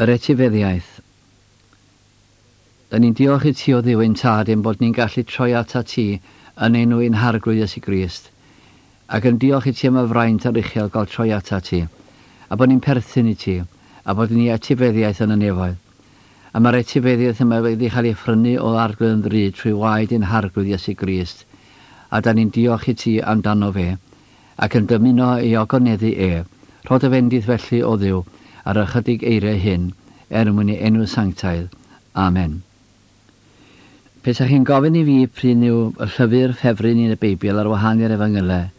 Yr etifeddiaeth. Da ni'n diolch i ti o Dduw ein Tad ein bod ni'n gallu troi atat ti yn enw ein Harglwydd Iesu Grist, ac yn diolch i ti am y fraint aruchel gael troi atat ti, a bod ni'n perthyn i ti, a bod ni etifeddiaeth yn y nefoedd. A mae'r etifeddiaeth yma wedi cael ei phrynu o Arglwydd yn ddrud trwy waed ein Harglwydd Iesu Grist, a da ni'n diolch i ti amdano fe, ac yn dymuno ei ogoneddu e. Rho dy fendith felly, o Dduw, ar ychydig eiriau hyn, er mwyn ei enw sanctaidd. Amen. Pesach chi'n gofyn i fi p'run yw y llyfr ffefryn i yn y Beibl ar wahân i'r Efengylau,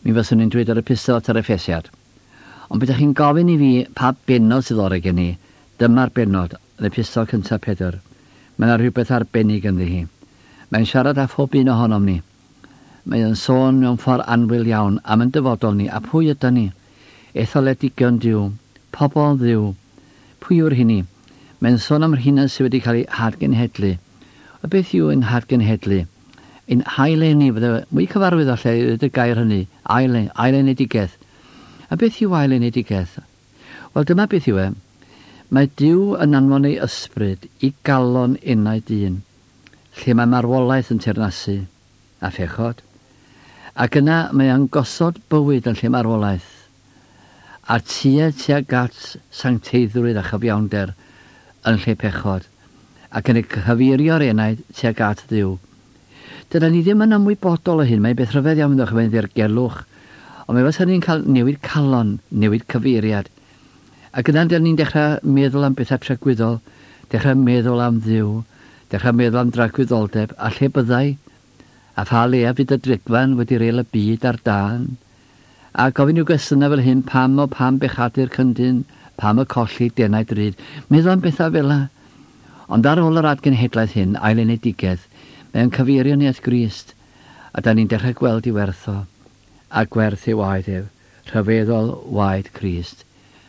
mi fyswn i'n dweud yr Epistol at yr Effesiad. Ond pe chi'n gofyn i fi pa bennod sydd orau gen i, dyma'r bennod, yn Epistol cyntaf Pedr. Mae yna rhywbeth arbennig ynddi hi. Mae'n siarad â phob un ohonom ni. Mae o'n sôn mewn ffordd annwyl iawn am yn dyfodol ni a pwy ydan ni. Etholedigion Duw, pobl Dduw. Pwy yw'r hynny? Mae'n sôn am rheina sydd wedi cael eu hadgenhedlu. A beth yw ein hadgenhedlu? Ein hail-eni, fydde mwy cyfarwydd falle i ddweud y gair hynny, ail, ailenedigaeth. A beth yw ailenedigaeth? Wel, dyma beth yw e. Mae Duw yn anfon ei ysbryd i galon enaid dyn, lle mae marwolaeth yn teyrnasu, a phechod. Ac yna mae o'n gosod bywyd yn lle marwolaeth, a tuedd tuag at sancteiddrwydd a chyfiawnder yn lle pechod, ac yn ei cyfeirio'r enaid tuag at Dduw. Dyna ni ddim yn ymwybodol o hyn, mae'n beth rhyfedd iawn ddech, mae'n ddirgelwch, ond mae fysa ni'n cael newid calon, newid cyfeiriad. Ac yna dyn ni'n dechrau meddwl am bethau tragwyddol, dechrau meddwl am Dduw, dechrau meddwl am dragwyddoldeb, a lle byddai, a pha le a fydd y drigfan wedi reil y byd ar dân. A gofyn i'w gwestiynau fel hyn, pam o pam bechadur cyndyn, pam y colli denau drud, meddwl am bethau fel 'na. Ond ar ôl yr adgenhedlaeth hyn, ailenedigaeth, mae o'n cyfeirio ni at Grist, a da ni'n dechrau gweld ei werth o, a gwerth ei waed ef, rhyfeddol waed Crist.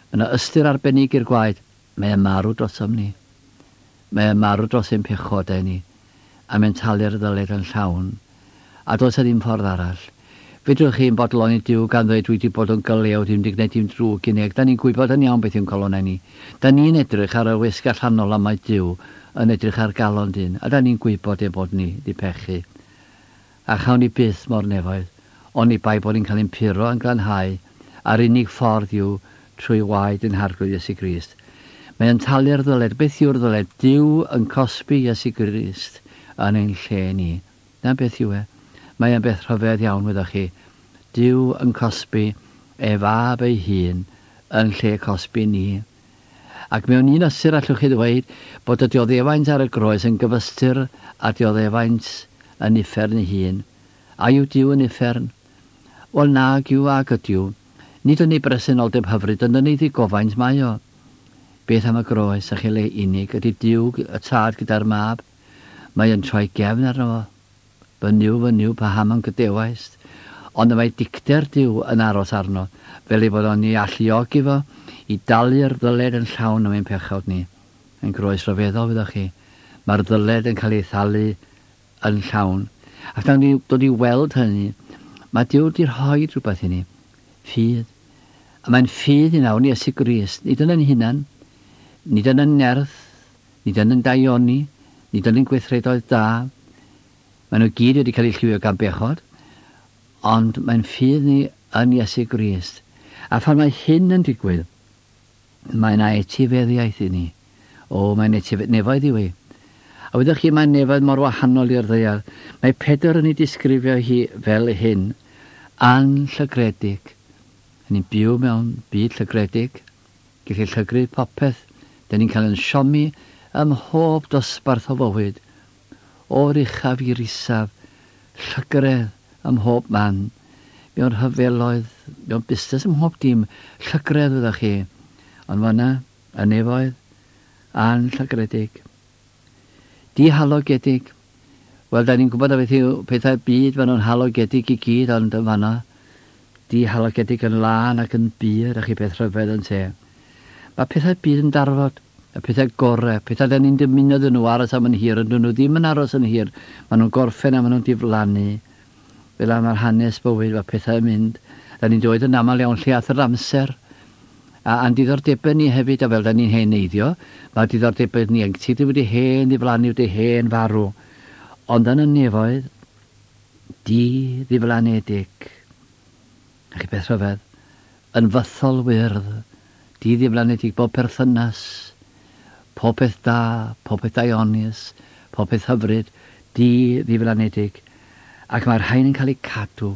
Mae yna ystyr arbennig i'r gwaed, mae o'n marw drosom ni. Mae o'n marw dros ein pechodau ni, a mae'n talu'r ddyled yn llawn. A does 'na ddim ffordd arall. Fedrwch chi'm bodloni Duw gan ddweud dwi 'di bod yn gylew, dwi'm 'di gwneud dim drwg i neb. Da ni'n gwybod yn iawn beth yw'n calonnau ni. Da ni'n edrych ar y wisg allanol a mae Duw yn edrych ar galon dyn, a da ni'n gwybod ein bod ni 'di pechu. A chawn ni byth mo'r nefoedd, oni bai bod ni'n cael ein puro a'n glanhau, a'r unig ffordd yw trwy waed ein Harglwydd Iesu Grist. Mae o'n talu'r ddyled. Beth yw'r ddyled? Duw yn cosbi Iesu Grist yn ein lle ni. Na beth yw e. Mae e'n beth rhyfedd iawn, wyddoch chi. Duw yn cosbi ei fab ei hun yn lle cosbi ni. Ac mewn un ystyr allwch chi ddweud bod y dioddefaint ar y groes yn gyfystyr â dioddefaint yn uffern ei hun. A yw Duw yn uffern? Wel nag yw ag ydyw. Nid yn ei bresenoldeb hyfryd ond yn ei ddigofaint mae o. Beth am y groes a chi le unig ydy Duw y Tad gyda'r Mab? Mae yn troi gefn arno fo. Fy Nuw, fy Nuw, paham a'm gadewaist? Ond y mae dicter Duw yn aros arno, fel ei fod o'n ei alluogi fo i dalu'r ddyled yn llawn am ein pechod ni. Yn groes ryfeddol, wyddoch chi. Mae'r ddyled yn cael ei thalu yn llawn. Ac nawn ni dod i weld hynny. Mae Duw wedi rhoi rhywbeth i ni. Ffydd. A mae'n ffydd i nawr yn Iesu Grist, nid yn ein hunan, nid yn ein nerth, Nid yn ein daioni, nid yn ein gweithredoedd da. Maen nhw gyd wedi cael eu lliwio gan bechod, ond mae'n ffydd ni yn Iesu Grist. A phan mae hyn yn digwydd, mae yna etifeddiaeth i ni. O, mae'n etifedd, nefoedd yw hi. A wyddoch chi, mae nefoedd mor wahanol i'r ddaear. Mae Pedr yn ei disgrifio hi fel hyn, anllygredig. Ni'n byw mewn byd llygredig. Gellir llygru popeth, 'den ni'n cael ein siomi ym mhob dosbarth o fywyd, o'r uchaf i'r isaf, llygredd ym mhob man, mewn rhyfeloedd, mewn busnes, ym mhob dim, llygredd wyddoch chi, ond fan'na, y nefoedd, anllygredig. Dihalogedig. Wel, da ni'n gwybod a beth yw pethau'r byd, maen nhw'n halogedig i gyd, ond yn fan'na, dihalogedig yn lân ac yn bur, a chi beth rhyfedd yn te. Mae pethau'r byd yn darfod, y pethau gorau, pethau da ni'n dymuno iddyn nhw aros am yn hir, ond dyn nhw ddim yn aros yn hir, maen nhw'n gorffen a maen nhw'n diflannu. Fel yna mae'r hanes bywyd, mae pethau yn mynd. Da ni'n dweud yn aml iawn lle ath yr amser. A a'n diddordebau ni hefyd, a fel da ni'n heneiddio, mae diddordebau ni ieuenctid wedi hen ddiflannu, wedi hen farw. Ond yn y nefoedd, di ddiflanedig. A chi beth rhyfedd? Yn fythol wyrdd, di ddiflanedig bob perthynas, pob peth da, pob peth daionus, pob peth hyfryd, di ddiflanedig. Ac mae'r rhain yn cael eu cadw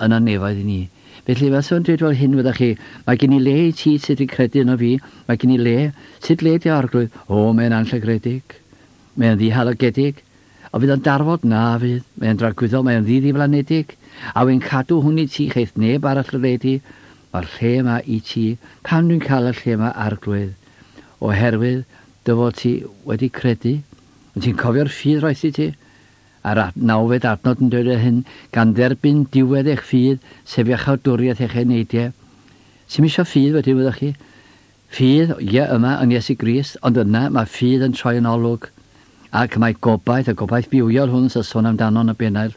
yn y nefoedd i ni. Felly, fel sy'n dweud fel hyn fyddech chi, mae gen i le i ti sydd wedi credu yno fi, mae gen i le, sut le di arglwydd? O, mae'n anllygredig, mae'n ddihalogedig, o fydd o'n darfod? Na fydd, mae'n dragwyddol, mae'n ddi-ddiflanedig, a wy'n cadw hwn i ti, cheith neb arall y le di, mae'r lle yma i ti, pam dwi'n cael y lle yma arglwydd? Oherwydd dy fod ti wedi credu, ond ti'n cofio'r ffydd roes i ti? A'r nawfed adnod yn dweud hyn, gan dderbyn diwedd eich ffydd, sef iachawdwriaeth eich eneidiau. Sy'm isio ffydd wedyn, wyddech chi? Ffydd, ie, yma yn Iesu Grist, ond yna mae ffydd yn troi yn olwg. Ac mae gobaith, y gobaith bywiol hwn sy'n sôn amdano yn y bennail,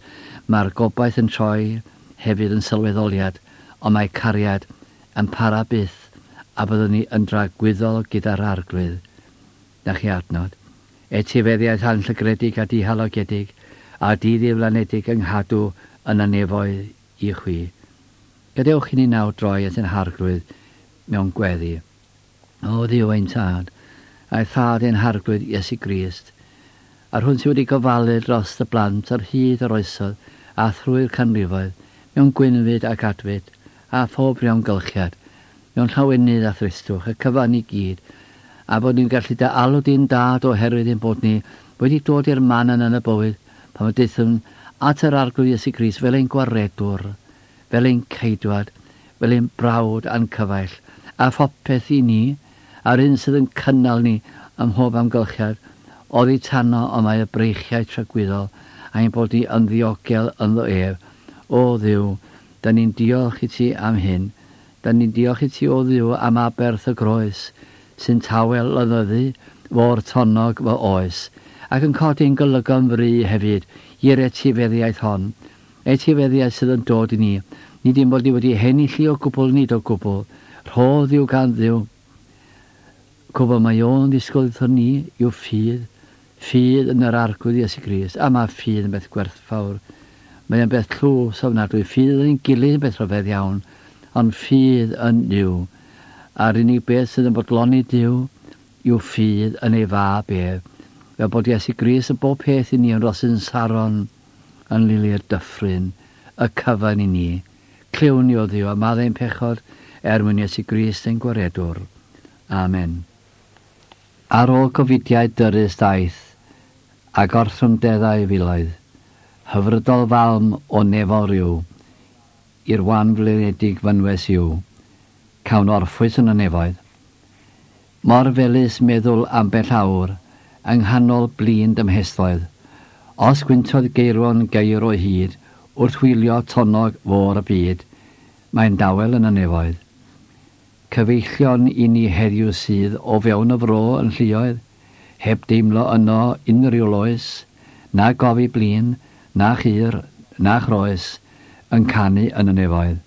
mae'r gobaith yn troi hefyd yn sylweddoliad, ond mae cariad yn para byth, a byddwn ni yn dragwyddol gyda'r arglwydd. Na chi adnod. Etifeddiaeth anllygredig a dihalogedig, a di-ddiflanedig yng nghadw yn y nefoedd i chwi. Gadewch i ni nawr droi at ein harglwydd mewn gweddi. O Dduw ein tad, a'i thad ein harglwydd Iesu Grist, a'r hwn sydd wedi gofalu dros y blant ar hyd yr oesoedd a thrwy'r canrifoedd, mewn gwynfyd ac adfyd, a phob rhyw amgylchiad, mewn llawenydd a thristwch, y cyfan i gyd, a bod ni'n gallu dy alw di'n dad oherwydd ein bod ni wedi dod i'r man yna yn y bywyd pan y daethwn at yr Arglwydd Iesu Grist fel ein gwaredwr, fel ein ceidwad, fel ein brawd a'n cyfaill, a phopeth i ni, a'r un sydd yn cynnal ni ym mhob amgylchiad, oddi tano y mae y breichiau tragwyddol, a'n bod ni yn ddiogel ynddo ef. O Dduw, da ni'n diolch i ti am hyn. Da ni'n diolch i ti, o Dduw, am aberth y groes, sy'n tawel lynyddu fôr tonnog fy oes, ac yn codi'n golygon fry hefyd i'r etifeddiaeth hon, etifeddiaeth sydd yn dod i ni, nid ein bod ni wedi henillu o gwbl, nid o gwbl, rhodd yw gan Dduw. Cwbl mae o'n ddisgwyl wrthon ni yw ffydd, ffydd yn yr Arglwydd Iesu Grist, a mae ffydd yn beth gwerthfawr. Mae o'n beth tlws ofnadwy, ffydd yn ein gilydd yn beth rhyfedd iawn, ond ffydd yn Nuw. A'r unig beth sydd yn bodloni Duw yw ffydd yn ei fab ef, fel bod Iesu Grist yn bob peth i ni yn rosyn Saron, yn lili'r dyffryn, y cyfan i ni. Clywn ni o Dduw a maddau ein pechod er mwyn Iesu Grist ein Gwaredwr. Amen. Ar ôl gofidiau dyrys daeth, a gorthrymdeddau filoedd, hyfrydol falm o nefol ryw, i'r wan flinedig fynwes yw, cawn orffwys yn y nefoedd. Mor felys meddwl ambell awr yng nghanol blin dymhestloedd, os gwyntodd geirwon geir o hyd wrth wylio tonnog fôr y byd, mae'n dawel yn y nefoedd. Cyfeillion i ni heddiw sydd o fewn y fro yn lluoedd, heb deimlo yno unrhyw loes, na gofi blin, na chur, na chroes, yn canu yn y nefoedd.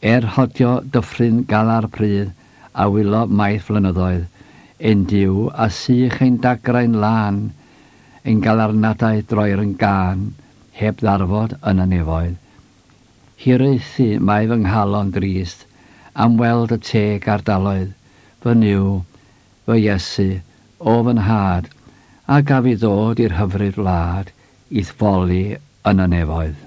Er rhodio dyffryn galar pridd a wylo maith flynyddoedd, ein Duw a sych ein dagrau'n lân, ein galarnadau droer yn gân, heb ddarfod yn y nefoedd. Hiraethu mae fy nghalon drist am weld y teg ardaloedd, fy Nuw, fy Iesu, o fy nhad, a gaf i ddod i'r hyfryd wlad i'th foli yn y nefoedd.